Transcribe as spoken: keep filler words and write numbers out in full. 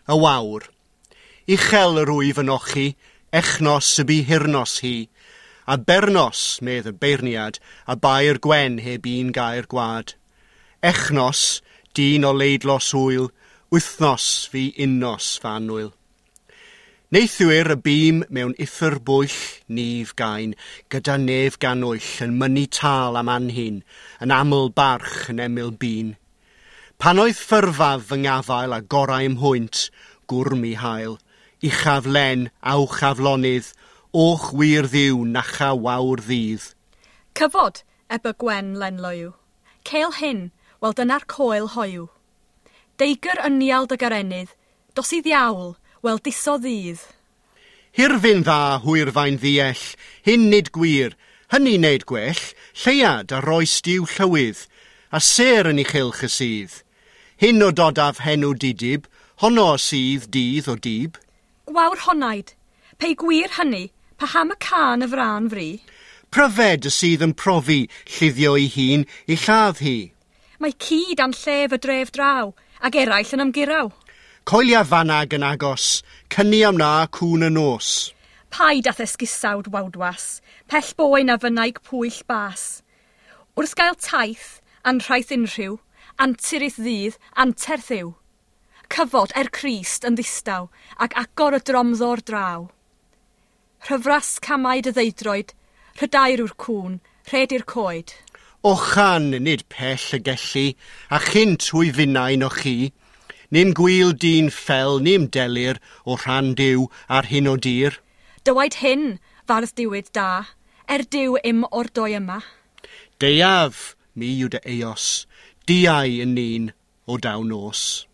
Y wawr. Uchel yr wyf yn ochi, echnos y bu hirnos hi, a bernos, medd y beirniad, a bair gwen heb un gair gwad. Echnos, dyn o leidlos hwyl, wythnos fi unnos fanwyl. Neithiwr y bîm mewn uffur bwyll nif gain, gyda nef ganwyll yn mynnu tâl am anhun, yn aml barch yn emyl bîn. Pan oedd ffurfaf fy ngafael a gorau ymhwynt, gwr mi hael, uchaf len, awch aflonydd, och wir ddiw nacha wawr ddydd. Cyfod, eb y Gwen lenloyw. Cêl hyn, wel dyna'r coel hoyw. Deigr ynial dy garenydd, dos i ddiawl, wel diso ddydd. Hirfyn dda hwyrfain ddiell, hyn nid gwir, hynny wneud gwell, lleuad a roes diw llywydd, a sêr yn ei chylch y sydd. Hyn o dodaf henw didib, honno sydd dydd o dib. Gwawr honaid, pei gwir hynny, paham y cân y frân fri? Pryfed y sydd yn profi, lliddio ei hun i lladd hi. Mae ci dan llef y dref draw, ag eraill yn ymguraw. Coelia fanag yn agos, cynni am na cŵn y nos. Paid â'th esgusawd wawdwas, pell boen a fynnaig pwyll bas. Wrth gael taith, anrhaith unrhyw, antur i'th ddydd, anterth yw. Cyfod er Crist yn ddistaw, ac agor y dromddor draw. Rhyfras camau dy ddeudroed, rhydair yw'r cŵn, rhed i'r coed. Ochan nid pell y gellu, a chynt hwy finnau no chi. Nim gwyl dyn ffel, nim delir o rhan Duw ar hyn o dir. Dywaid hyn, fardd diwyd da, er Duw im o'r doi yma. Deiaf, mi yw dy eos, diau yn un o daw nos.